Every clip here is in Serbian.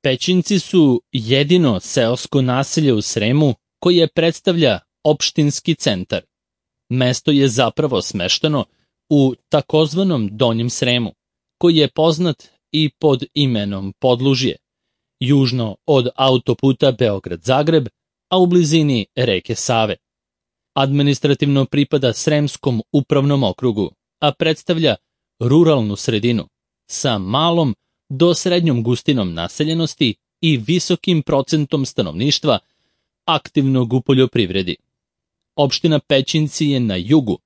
Pećinci su jedino seosko naselje u Sremu koje predstavlja opštinski centar. Mesto je zapravo smešteno u takozvanom Donjem Sremu, koji je poznat i pod imenom Podlužje, južno od autoputa Beograd-Zagreb, a u blizini reke Save. Administrativno pripada Sremskom upravnom okrugu, a predstavlja ruralnu sredinu sa malom do srednjom gustinom naseljenosti i visokim procentom stanovništva aktivnog u poljoprivredi. Opština Pećinci je na jugu,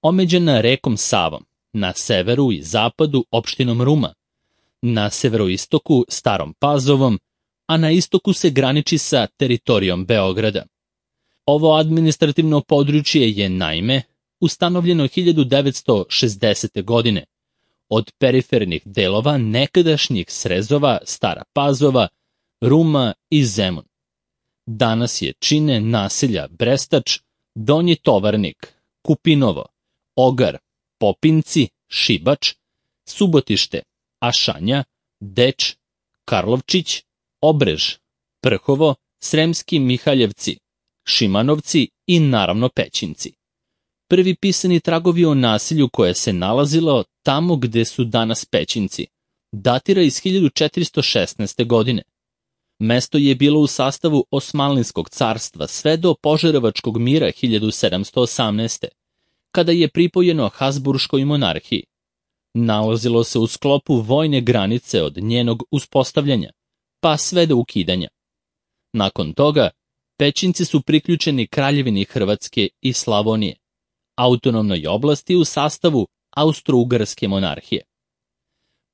omeđena rekom Savom, na severu i zapadu opštinom Ruma, na severoistoku Starom Pazovom, a na istoku se graniči sa teritorijom Beograda. Ovo administrativno područje je, naime, ustanovljeno 1960. godine od perifernih delova nekadašnjih srezova Stara Pazova, Ruma i Zemun. Danas je čine naselja Brestač, Donji Tovarnik, Kupinovo, Ogar, Popinci, Šibač, Subotište, Ašanja, Deč, Karlovčić, Obrež, Prhovo, Sremski Mihaljevci, Šimanovci i naravno Pećinci. Prvi pisani tragovi o naselju koje se nalazilo tamo gde su danas Pećinci datira iz 1416. godine. Mesto je bilo u sastavu Osmanlijskog carstva sve do Požarevačkog mira 1718. kada je pripojeno Habsburškoj monarhiji. Nalazilo se u sklopu vojne granice od njenog uspostavljanja, pa sve do ukidanja. Nakon toga, Pećinci su priključeni Kraljevini Hrvatske i Slavonije, autonomnoj oblasti u sastavu Austro-Ugarske monarhije.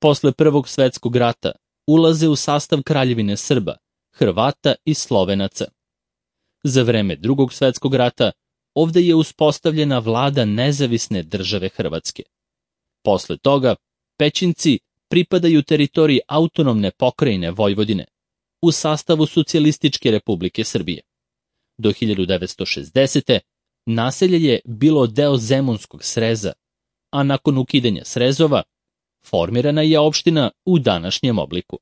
Posle Prvog svetskog rata ulaze u sastav Kraljevine Srba, Hrvata i Slovenaca. Za vreme Drugog svetskog rata ovde je uspostavljena vlada nezavisne države Hrvatske. Posle toga, Pećinci pripadaju teritoriji autonomne pokrajine Vojvodine u sastavu Socijalističke Republike Srbije. Do 1960. naselje je bilo deo Zemunskog sreza, a nakon ukidanja srezova formirana je opština u današnjem obliku.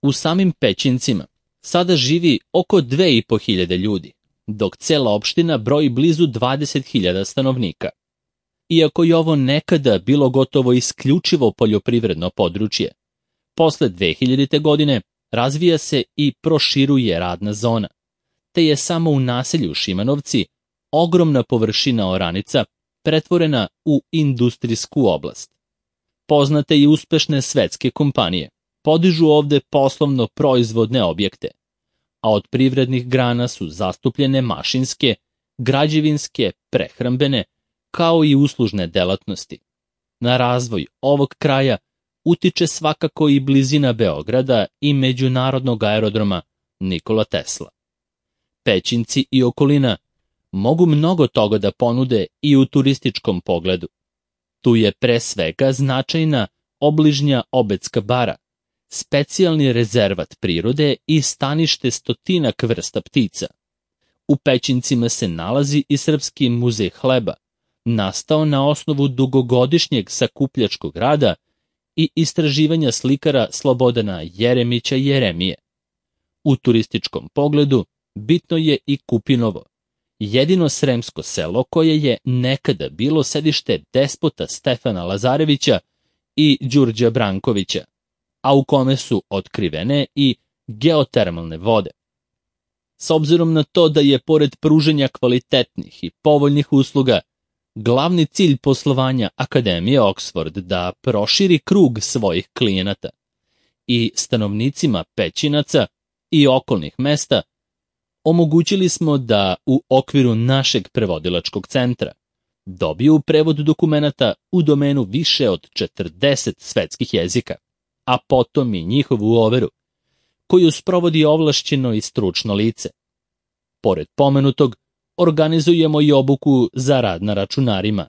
U samim Pećincima sada živi oko 2500 ljudi, dok cela opština broji blizu 20.000 stanovnika. Iako je ovo nekada bilo gotovo isključivo poljoprivredno područje, posle 2000. godine razvija se i proširuje radna zona, te je samo u naselju Šimanovci ogromna površina oranica pretvorena u industrijsku oblast. Poznate i uspešne svetske kompanije podižu ovde poslovno proizvodne objekte, a od privrednih grana su zastupljene mašinske, građevinske, prehrambene, kao i uslužne delatnosti. Na razvoj ovog kraja utiče svakako i blizina Beograda i međunarodnog aerodroma Nikola Tesla. Pećinci i okolina mogu mnogo toga da ponude i u turističkom pogledu. Tu je pre svega značajna obližnja Obedska bara, specijalni rezervat prirode i stanište stotinak vrsta ptica. U Pećincima se nalazi i Srpski muzej hleba, nastao na osnovu dugogodišnjeg sakupljačkog rada i istraživanja slikara Slobodana Jeremića Jeremije. U turističkom pogledu bitno je i Kupinovo, jedino sremsko selo koje je nekada bilo sedište despota Stefana Lazarevića i Đurđa Brankovića, a u kome su otkrivene i geotermalne vode. S obzirom na to da je pored pruženja kvalitetnih i povoljnih usluga glavni cilj poslovanja Akademije Oxford da proširi krug svojih klijenata i stanovnicima Pećinaca i okolnih mesta, omogućili smo da u okviru našeg prevodilačkog centra dobiju prevod dokumenata u domenu više od 40 svetskih jezika, a potom i njihovu overu, koju sprovodi ovlašćeno i stručno lice. Pored pomenutog, organizujemo i obuku za rad na računarima,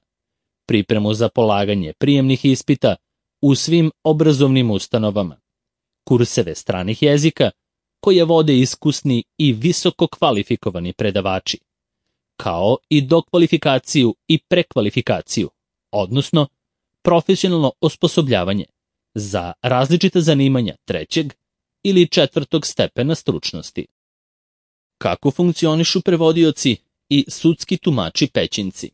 pripremu za polaganje prijemnih ispita u svim obrazovnim ustanovama, kurseve stranih jezika koje vode iskusni i visoko kvalifikovani predavači, kao i dokvalifikaciju i prekvalifikaciju, odnosno profesionalno osposobljavanje za različita zanimanja trećeg ili 4. stepena stručnosti. Kako funkcionišu prevodioci i sudski tumači pećinci?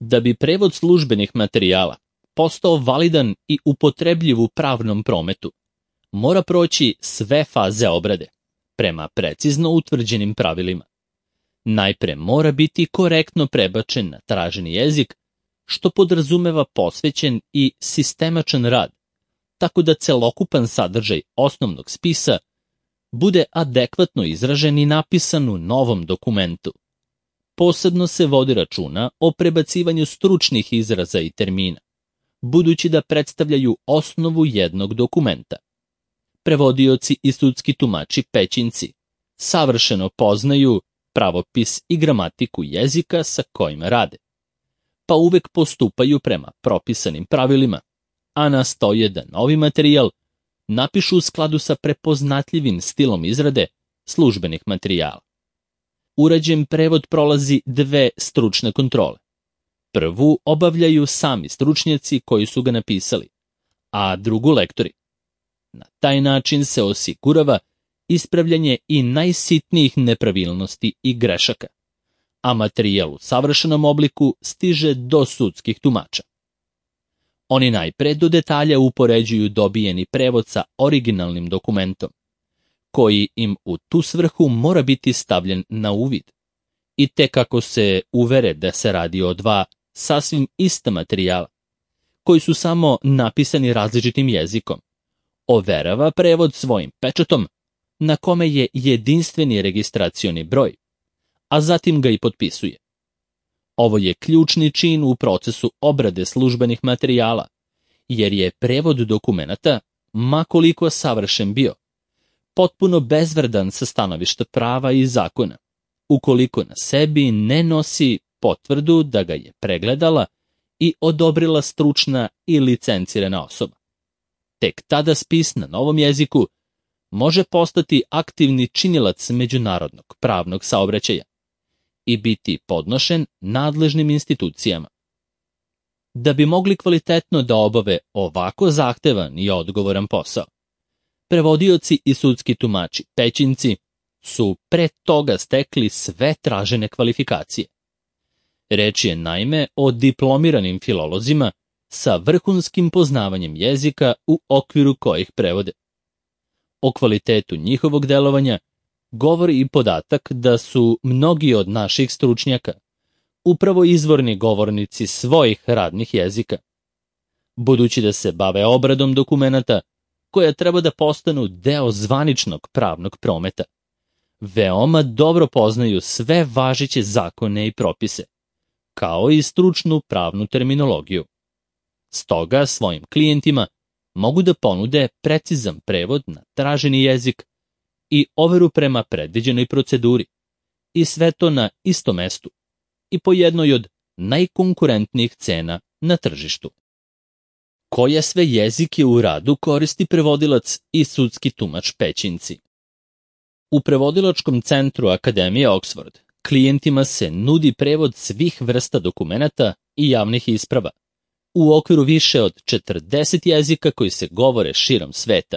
Da bi prevod službenih materijala postao validan i upotrebljiv u pravnom prometu, mora proći sve faze obrade, prema precizno utvrđenim pravilima. Najpre mora biti korektno prebačen na traženi jezik, što podrazumeva posvećen i sistemačan rad, tako da celokupan sadržaj osnovnog spisa bude adekvatno izražen i napisan u novom dokumentu. Posebno se vodi računa o prebacivanju stručnih izraza i termina, budući da predstavljaju osnovu jednog dokumenta. Prevodioci i sudski tumači pećinci savršeno poznaju pravopis i gramatiku jezika sa kojima rade, pa uvek postupaju prema propisanim pravilima, a nastoje da novi materijal napišu u skladu sa prepoznatljivim stilom izrade službenih materijala. Urađen prevod prolazi 2 stručne kontrole. Prvu obavljaju sami stručnjaci koji su ga napisali, a drugu lektori. Na taj način se osigurava ispravljanje i najsitnijih nepravilnosti i grešaka, a materijal u savršenom obliku stiže do sudskih tumača. Oni najpre do detalja upoređuju dobijeni prevod sa originalnim dokumentom, koji im u tu svrhu mora biti stavljen na uvid. I tek kako se uvere da se radi o 2 sasvim ista materijala, koji su samo napisani različitim jezikom, overava prevod svojim pečatom, na kome je jedinstveni registracioni broj, a zatim ga i potpisuje. Ovo je ključni čin u procesu obrade službenih materijala, jer je prevod dokumenata, ma koliko savršen bio, potpuno bezvredan sa stanovišta prava i zakona, ukoliko na sebi ne nosi potvrdu da ga je pregledala i odobrila stručna i licencirana osoba. Tek tada spis na novom jeziku može postati aktivni činilac međunarodnog pravnog saobraćaja i biti podnošen nadležnim institucijama. Da bi mogli kvalitetno da obave ovako zahtevan i odgovoran posao, prevodioci i sudski tumači pećinci su pre toga stekli sve tražene kvalifikacije. Reč je naime o diplomiranim filolozima sa vrhunskim poznavanjem jezika u okviru kojih prevode. O kvalitetu njihovog delovanja govori i podatak da su mnogi od naših stručnjaka upravo izvorni govornici svojih radnih jezika. Budući da se bave obradom dokumenata koja treba da postanu deo zvaničnog pravnog prometa, veoma dobro poznaju sve važeće zakone i propise, kao i stručnu pravnu terminologiju. Stoga svojim klijentima mogu da ponude precizan prevod na traženi jezik i overu prema predviđenoj proceduri, i sve to na istom mestu i po jednoj od najkonkurentnijih cena na tržištu. Koje sve jezike u radu koristi prevodilac i sudski tumač pećinci? U prevodilačkom centru Akademije Oxford klijentima se nudi prevod svih vrsta dokumenata i javnih isprava u okviru više od 40 jezika koji se govore širom sveta.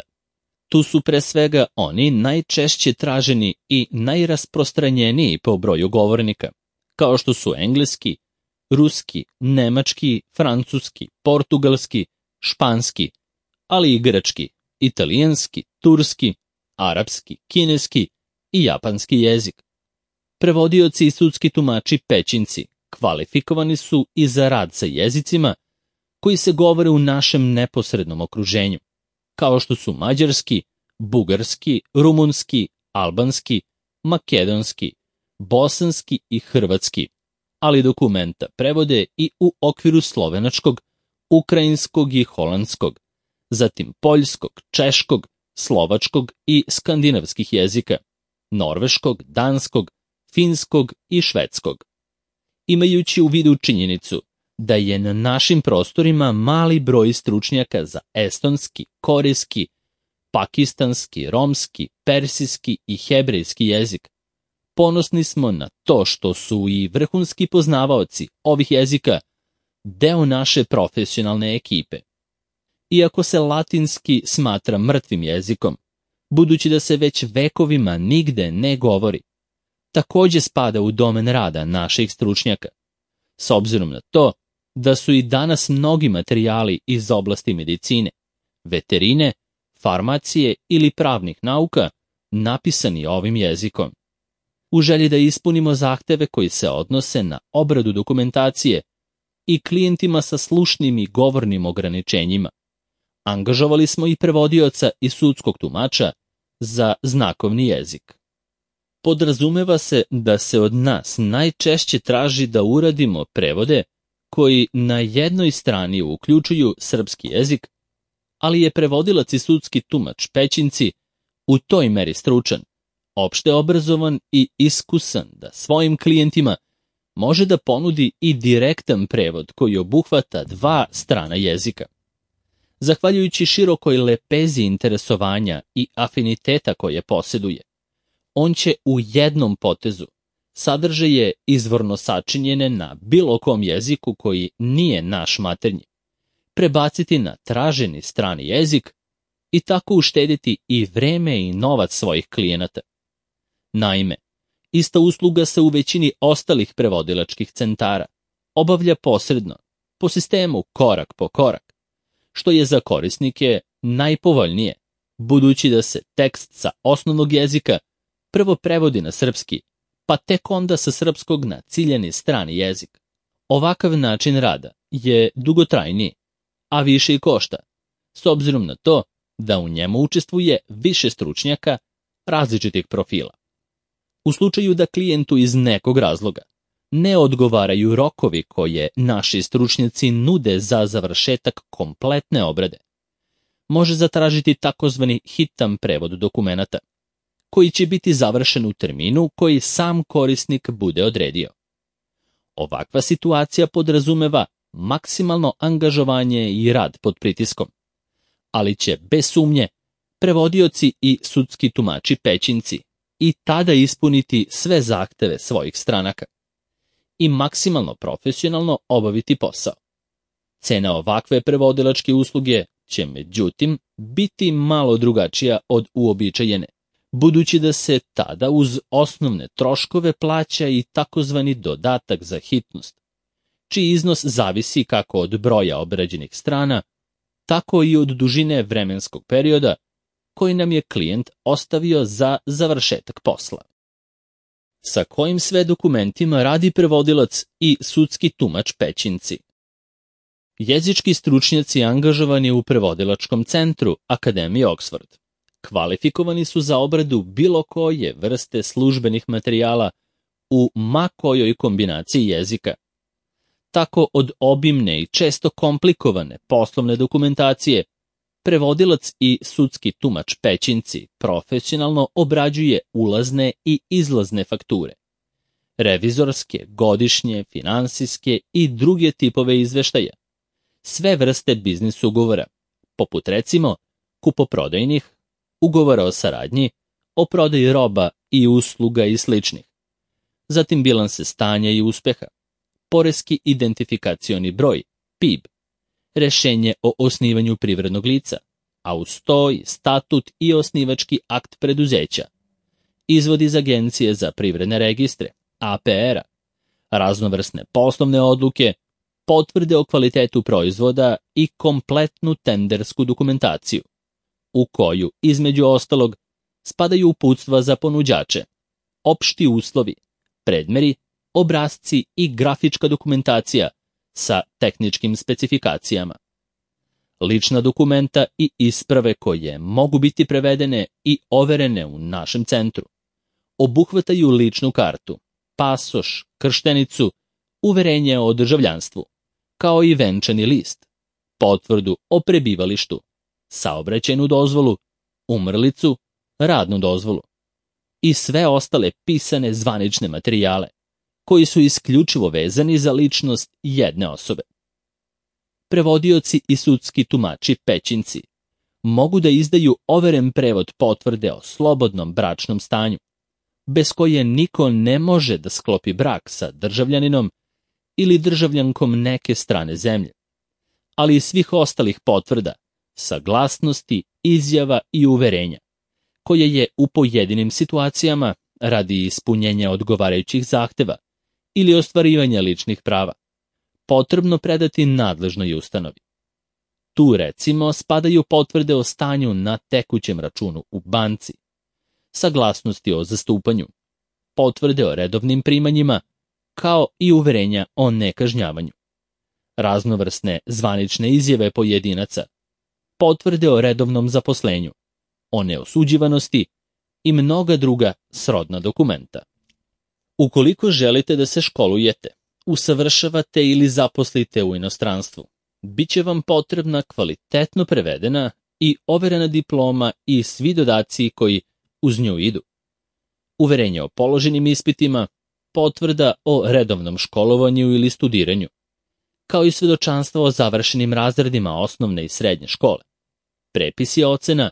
Tu su pre svega oni najčešće traženi i najrasprostranjeniji po broju govornika, kao što su engleski, ruski, nemački, francuski, portugalski, španski, ali i grčki, italijanski, turski, arapski, kineski i japanski jezik. Prevodioci i sudski tumači pećinci kvalifikovani su i za rad sa jezicima koji se govore u našem neposrednom okruženju, kao što su mađarski, bugarski, rumunski, albanski, makedonski, bosanski i hrvatski, ali dokumenta prevode i u okviru slovenačkog, ukrajinskog i holandskog, zatim poljskog, češkog, slovačkog i skandinavskih jezika, norveškog, danskog, finskog i švedskog. Imajući u vidu činjenicu da je na našim prostorima mali broj stručnjaka za estonski, korejski, pakistanski, romski, persijski i hebrejski jezik, ponosni smo na to što su i vrhunski poznavaoci ovih jezika deo naše profesionalne ekipe. Iako se latinski smatra mrtvim jezikom, budući da se već vekovima nigde ne govori, takođe spada u domen rada naših stručnjaka, s obzirom na to da su i danas mnogi materijali iz oblasti medicine, veterine, farmacije ili pravnih nauka napisani ovim jezikom. U želji da ispunimo zahteve koji se odnose na obradu dokumentacije i klijentima sa slušnim i govornim ograničenjima, angažovali smo i prevodioca i sudskog tumača za znakovni jezik. Podrazumeva se da se od nas najčešće traži da uradimo prevode koji na jednoj strani uključuju srpski jezik, ali je prevodilac i sudski tumač Pećinci u toj meri stručan, opšte obrazovan i iskusan da svojim klijentima može da ponudi i direktan prevod koji obuhvata dva strana jezika. Zahvaljujući širokoj lepezi interesovanja i afiniteta koje posjeduje, on će u jednom potezu sadržaje izvorno sačinjene na bilo kom jeziku koji nije naš maternji, prebaciti na traženi strani jezik i tako uštediti i vreme i novac svojih klijenata. Naime, ista usluga se u većini ostalih prevodilačkih centara obavlja posredno, po sistemu korak po korak, što je za korisnike najpovoljnije, budući da se tekst sa osnovnog jezika prvo prevodi na srpski, pa tek onda sa srpskog na ciljani strani jezik. Ovakav način rada je dugotrajniji, a više i košta, s obzirom na to da u njemu učestvuje više stručnjaka različitih profila. U slučaju da klijentu iz nekog razloga ne odgovaraju rokovi koje naši stručnjaci nude za završetak kompletne obrade, može zatražiti takozvani hitan prevod dokumenata, koji će biti završen u terminu koji sam korisnik bude odredio. Ovakva situacija podrazumeva maksimalno angažovanje i rad pod pritiskom, ali će bez sumnje prevodioci i sudski tumači Pećinci i tada ispuniti sve zahteve svojih stranaka i maksimalno profesionalno obaviti posao. Cena ovakve prevodilačke usluge će međutim biti malo drugačija od uobičajene, budući da se tada uz osnovne troškove plaća i takozvani dodatak za hitnost, čiji iznos zavisi kako od broja obrađenih strana, tako i od dužine vremenskog perioda koji nam je klijent ostavio za završetak posla. Sa kojim sve dokumentima radi prevodilac i sudski tumač Pećinci? Jezički stručnjaci angažovani u prevodilačkom centru Akademije Oxford kvalifikovani su za obradu bilo koje vrste službenih materijala u ma kojoj kombinaciji jezika. Tako od obimne i često komplikovane poslovne dokumentacije, prevodilac i sudski tumač Pećinci profesionalno obrađuje ulazne i izlazne fakture, revizorske, godišnje, finansijske i druge tipove izveštaja, sve vrste biznis ugovora, poput recimo kupoprodajnih, ugovora o saradnji, o prodaji roba i usluga i sličnih, zatim bilanse stanja i uspeha, poreski identifikacioni broj, PIB, rešenje o osnivanju privrednog lica, a uz to i statut i osnivački akt preduzeća, izvod iz Agencije za privredne registre, APR-a, raznovrsne poslovne odluke, potvrde o kvalitetu proizvoda i kompletnu tendersku dokumentaciju, u koju, između ostalog, spadaju uputstva za ponuđače, opšti uslovi, predmeri, obrasci i grafička dokumentacija sa tehničkim specifikacijama. Lična dokumenta i isprave koje mogu biti prevedene i overene u našem centru obuhvataju ličnu kartu, pasoš, krštenicu, uverenje o državljanstvu, kao i venčani list, potvrdu o prebivalištu, saobraćajnu dozvolu, umrlicu, radnu dozvolu i sve ostale pisane zvanične materijale koji su isključivo vezani za ličnost jedne osobe. Prevodioci i sudski tumači Pećinci mogu da izdaju overen prevod potvrde o slobodnom bračnom stanju, bez koje niko ne može da sklopi brak sa državljaninom ili državljankom neke strane zemlje, ali i svih ostalih potvrda, saglasnosti, izjava i uverenja, koje je u pojedinim situacijama, radi ispunjenja odgovarajućih zahteva ili ostvarivanja ličnih prava, potrebno predati nadležnoj ustanovi. Tu recimo spadaju potvrde o stanju na tekućem računu u banci, saglasnosti o zastupanju, potvrde o redovnim primanjima, kao i uverenja o nekažnjavanju, raznovrsne zvanične izjave pojedinaca, potvrde o redovnom zaposlenju, o neosuđivanosti i mnoga druga srodna dokumenta. Ukoliko želite da se školujete, usavršavate ili zaposlite u inostranstvu, bit će vam potrebna kvalitetno prevedena i overena diploma i svi dodaci koji uz nju idu. Uverenje o položenim ispitima, potvrda o redovnom školovanju ili studiranju, kao i svedočanstvo o završenim razredima osnovne i srednje škole, prepisi ocena,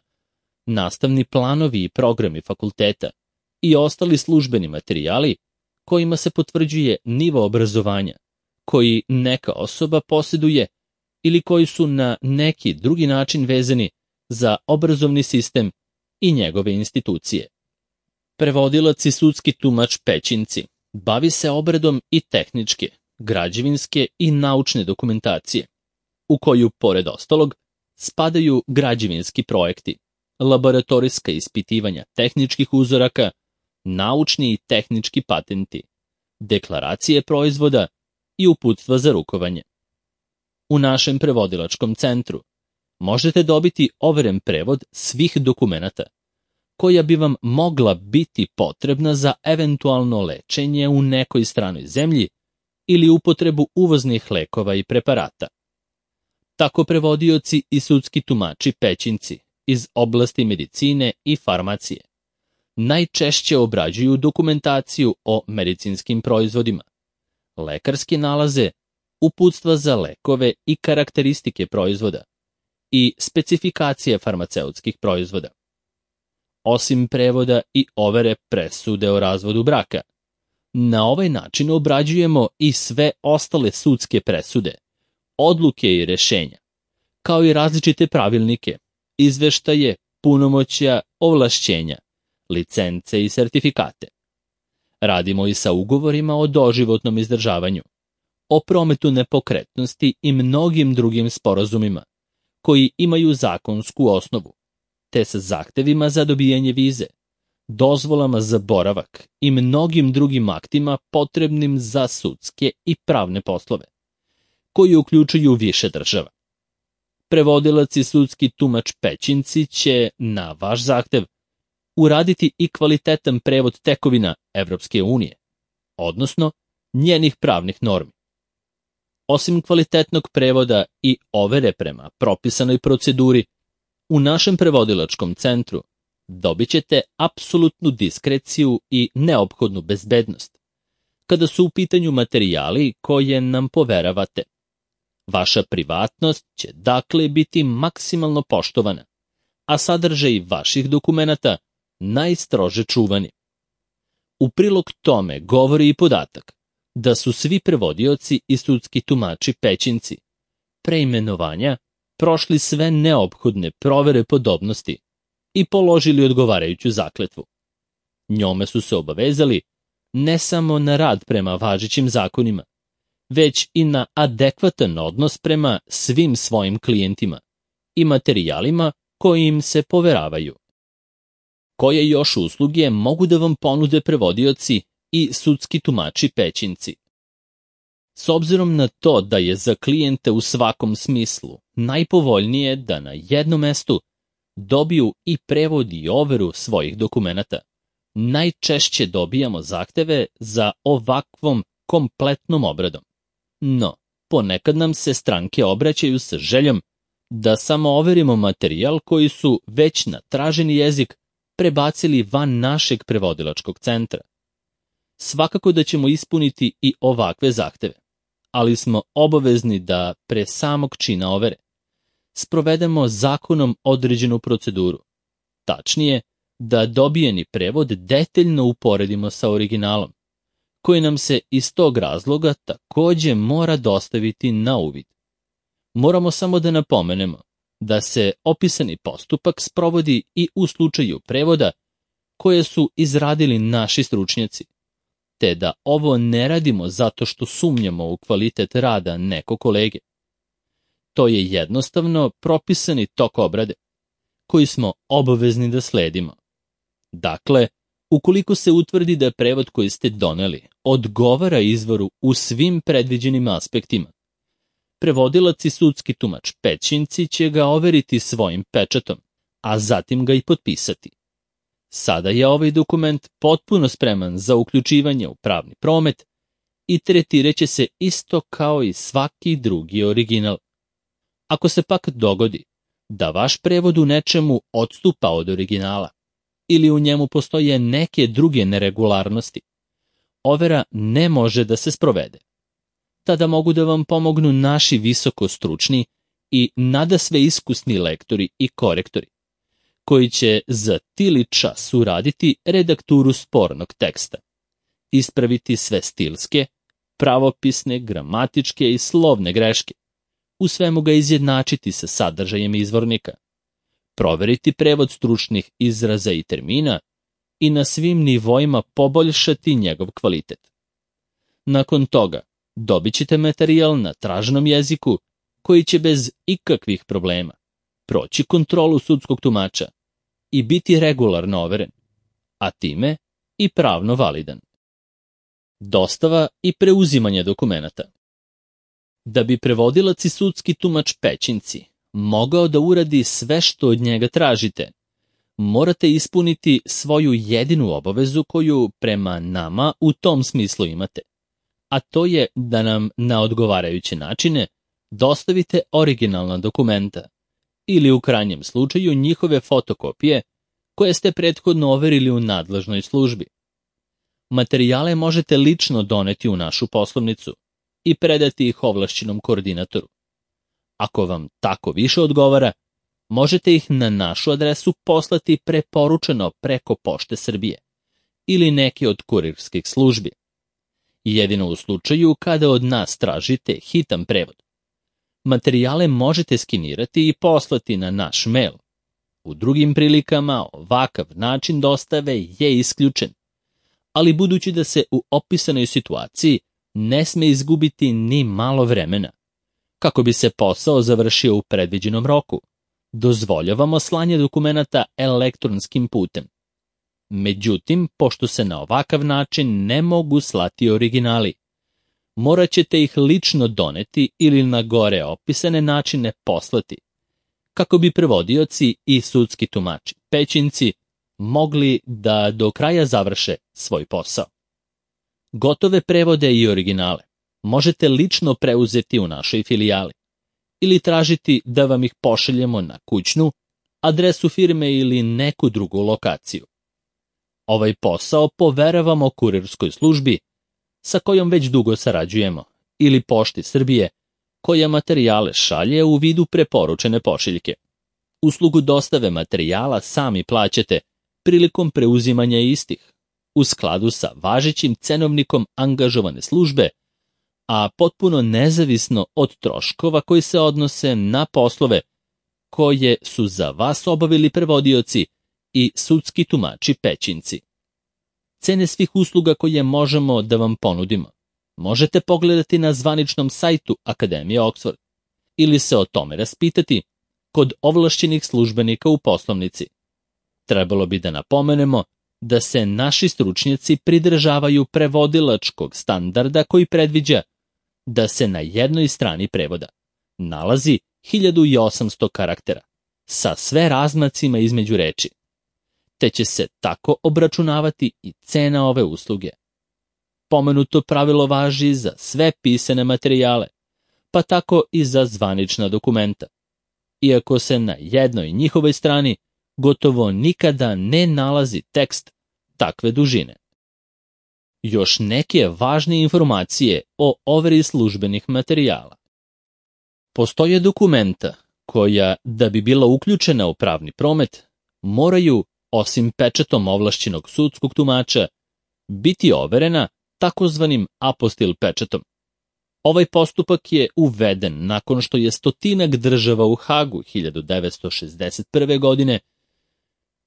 nastavni planovi i programi fakulteta i ostali službeni materijali kojima se potvrđuje nivo obrazovanja koji neka osoba posjeduje ili koji su na neki drugi način vezani za obrazovni sistem i njegove institucije. Prevodilac i sudski tumač Pećinci bavi se obradom i tehničke, građevinske i naučne dokumentacije, u koju, pored ostalog, spadaju građevinski projekti, laboratorijska ispitivanja tehničkih uzoraka, naučni i tehnički patenti, deklaracije proizvoda i uputstva za rukovanje. U našem prevodilačkom centru možete dobiti overen prevod svih dokumenata koja bi vam mogla biti potrebna za eventualno lečenje u nekoj stranoj zemlji ili upotrebu uvoznih lekova i preparata. Tako prevodioci i sudski tumači Pećinci iz oblasti medicine i farmacije najčešće obrađuju dokumentaciju o medicinskim proizvodima, lekarske nalaze, uputstva za lekove i karakteristike proizvoda i specifikacije farmaceutskih proizvoda. Osim prevoda i overe presude o razvodu braka, na ovaj način obrađujemo i sve ostale sudske presude, odluke i rešenja, kao i različite pravilnike, izveštaje, punomoćja, ovlašćenja, licence i sertifikate. Radimo i sa ugovorima o doživotnom izdržavanju, o prometu nepokretnosti i mnogim drugim sporazumima koji imaju zakonsku osnovu, te sa zahtevima za dobijanje vize, dozvolama za boravak i mnogim drugim aktima potrebnim za sudske i pravne poslove, koji uključuju više država. Prevodilac i sudski tumač Pećinci će, na vaš zahtev, uraditi i kvalitetan prevod tekovina Evropske unije, odnosno njenih pravnih normi. Osim kvalitetnog prevoda i overe prema propisanoj proceduri, u našem prevodilačkom centru dobit ćete apsolutnu diskreciju i neophodnu bezbednost, kada su u pitanju materijali koje nam poveravate. Vaša privatnost će dakle biti maksimalno poštovana, a sadržaj vaših dokumenata najstrože čuvani. U prilog tome govori i podatak da su svi prevodioci i sudski tumači Pećinci pre imenovanja prošli sve neophodne provere podobnosti i položili odgovarajuću zakletvu. Njome su se obavezali ne samo na rad prema važećim zakonima, već i na adekvatan odnos prema svim svojim klijentima i materijalima koji im se poveravaju. Koje još usluge mogu da vam ponude prevodioci i sudski tumači Pećinci? S obzirom na to da je za klijente u svakom smislu najpovoljnije da na jednom mestu dobiju i prevod i overu svojih dokumenata, najčešće dobijamo zahteve za ovakvom kompletnom obradom. No, ponekad nam se stranke obraćaju sa željom da samo overimo materijal koji su već na traženi jezik prebacili van našeg prevodilačkog centra. Svakako da ćemo ispuniti i ovakve zahteve, ali smo obavezni da pre samog čina overe sprovedemo zakonom određenu proceduru. Tačnije, da dobijeni prevod detaljno uporedimo sa originalom, koji nam se iz tog razloga takođe mora dostaviti na uvid. Moramo samo da napomenemo da se opisani postupak sprovodi i u slučaju prevoda koje su izradili naši stručnjaci, te da ovo ne radimo zato što sumnjamo u kvalitet rada nekog kolege. To je jednostavno propisani tok obrade, koji smo obavezni da sledimo. Dakle, ukoliko se utvrdi da prevod koji ste doneli odgovara izvoru u svim predviđenim aspektima, prevodilac i sudski tumač Pećinci će ga overiti svojim pečatom, a zatim ga i potpisati. Sada je ovaj dokument potpuno spreman za uključivanje u pravni promet i tretireće se isto kao i svaki drugi original. Ako se pak dogodi da vaš prevod u nečemu odstupa od originala ili u njemu postoje neke druge neregularnosti, overa ne može da se sprovede. Tada mogu da vam pomognu naši visokostručni i nadasve iskusni lektori i korektori, koji će za tili čas uraditi redakturu spornog teksta, ispraviti sve stilske, pravopisne, gramatičke i slovne greške, u svemu ga izjednačiti sa sadržajem izvornika, proveriti prevod stručnih izraza i termina i na svim nivoima poboljšati njegov kvalitet. Nakon toga dobit ćete materijal na traženom jeziku koji će bez ikakvih problema proći kontrolu sudskog tumača i biti regularno overen, a time i pravno validan. Dostava i preuzimanje dokumenata. Da bi prevodilac i sudski tumač Pećinci mogao da uradi sve što od njega tražite, morate ispuniti svoju jedinu obavezu koju prema nama u tom smislu imate, a to je da nam na odgovarajuće načine dostavite originalna dokumenta ili u krajnjem slučaju njihove fotokopije koje ste prethodno overili u nadležnoj službi. Materijale možete lično doneti u našu poslovnicu i predati ih ovlašćenom koordinatoru. Ako vam tako više odgovara, možete ih na našu adresu poslati preporučeno preko Pošte Srbije ili neke od kurirskih službi. Jedino u slučaju kada od nas tražite hitan prevod. Materijale možete skenirati i poslati na naš mail. U drugim prilikama ovakav način dostave je isključen, ali budući da se u opisanoj situaciji ne sme izgubiti ni malo vremena, kako bi se posao završio u predviđenom roku, dozvoljavamo slanje dokumenata elektronskim putem. Međutim, pošto se na ovakav način ne mogu slati originali, morat ćete ih lično doneti ili na gore opisane načine poslati, kako bi prevodioci i sudski tumači Pećinci mogli da do kraja završe svoj posao. Gotove prevode i originale možete lično preuzeti u našoj filijali ili tražiti da vam ih pošaljemo na kućnu, adresu firme ili neku drugu lokaciju. Ovaj posao poveravamo kurirskoj službi sa kojom već dugo sarađujemo ili Pošti Srbije, koja materijale šalje u vidu preporučene pošiljke. Uslugu dostave materijala sami plaćate prilikom preuzimanja istih, u skladu sa važećim cenovnikom angažovane službe, a potpuno nezavisno od troškova koji se odnose na poslove koje su za vas obavili prevodioci i sudski tumači Pećinci. Cene svih usluga koje možemo da vam ponudimo možete pogledati na zvaničnom sajtu Akademije Oxford ili se o tome raspitati kod ovlašćenih službenika u poslovnici. Trebalo bi da napomenemo da se naši stručnjaci pridržavaju prevodilačkog standarda koji predviđa da se na jednoj strani prevoda nalazi 1800 karaktera sa sve razmacima između reči, te će se tako obračunavati i cena ove usluge. Pomenuto pravilo važi za sve pisane materijale, pa tako i za zvanična dokumenta, iako se na jednoj njihovoj strani gotovo nikada ne nalazi tekst takve dužine. Još neke važne informacije o overi službenih materijala. Postoje dokumenta koja, da bi bila uključena u pravni promet, moraju, osim pečatom ovlašćenog sudskog tumača, biti overena takozvanim apostil pečatom. Ovaj postupak je uveden nakon što je stotinak država u Hagu 1961. godine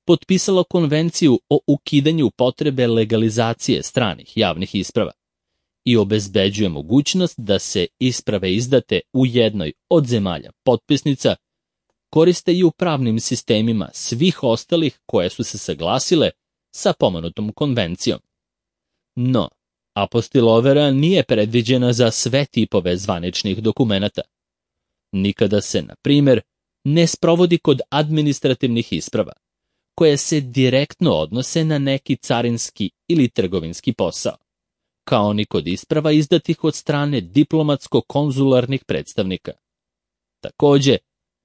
potpisalo konvenciju o ukidanju potrebe legalizacije stranih javnih isprava i obezbeđuje mogućnost da se isprave izdate u jednoj od zemalja potpisnica koriste i u pravnim sistemima svih ostalih koje su se saglasile sa pomenutom konvencijom. No, apostilovera nije predviđena za sve tipove zvaničnih dokumenata. Nikada se, na primjer, ne sprovodi kod administrativnih isprava, koje se direktno odnose na neki carinski ili trgovinski posao, kao ni kod isprava izdatih od strane diplomatsko-konzularnih predstavnika. Takođe,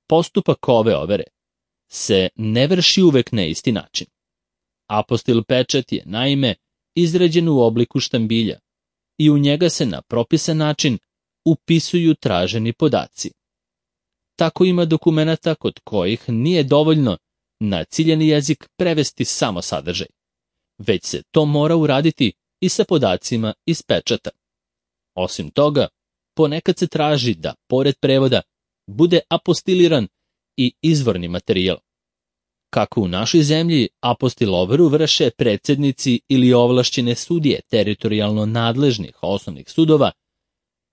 postupak ove overe se ne vrši uvek na isti način. Apostil pečat je, naime, izrađen u obliku štambilja i u njega se na propisan način upisuju traženi podaci. Tako ima dokumenata kod kojih nije dovoljno na ciljani jezik prevesti samo sadržaj, već se to mora uraditi i sa podacima iz pečata. Osim toga, ponekad se traži da, pored prevoda, bude apostiliran i izvorni materijal. Kako u našoj zemlji apostiloveru vrše predsednici ili ovlašćene sudije teritorijalno nadležnih osnovnih sudova,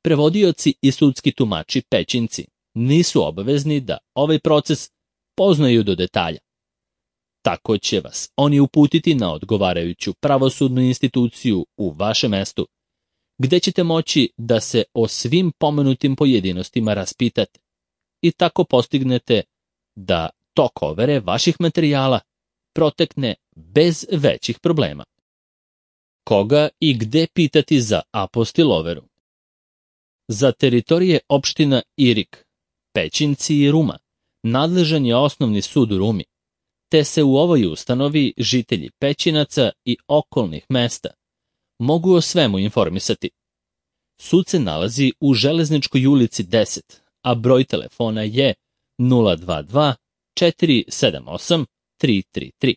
prevodioci i sudski tumači pećinci nisu obavezni da ovaj proces poznaju do detalja. Tako će vas oni uputiti na odgovarajuću pravosudnu instituciju u vašem mestu, gde ćete moći da se o svim pomenutim pojedinostima raspitate i tako postignete da tok overe vaših materijala protekne bez većih problema. Koga i gde pitati za apostiloveru? Za teritorije opština Irig, Pećinci i Ruma nadležan je osnovni sud u Rumi, te se u ovoj ustanovi žitelji Pećinaca i okolnih mesta mogu o svemu informisati. Sud se nalazi u Železničkoj ulici 10, a broj telefona je 022 478 333.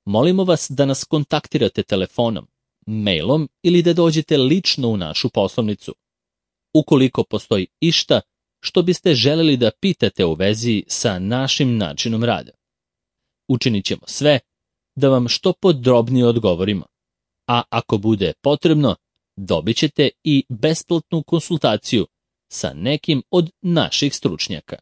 Molimo vas da nas kontaktirate telefonom, mailom ili da dođete lično u našu poslovnicu, ukoliko postoji išta što biste želeli da pitate u vezi sa našim načinom rada. Učinit ćemo sve da vam što podrobnije odgovorimo, a ako bude potrebno, dobit ćete i besplatnu konsultaciju sa nekim od naših stručnjaka.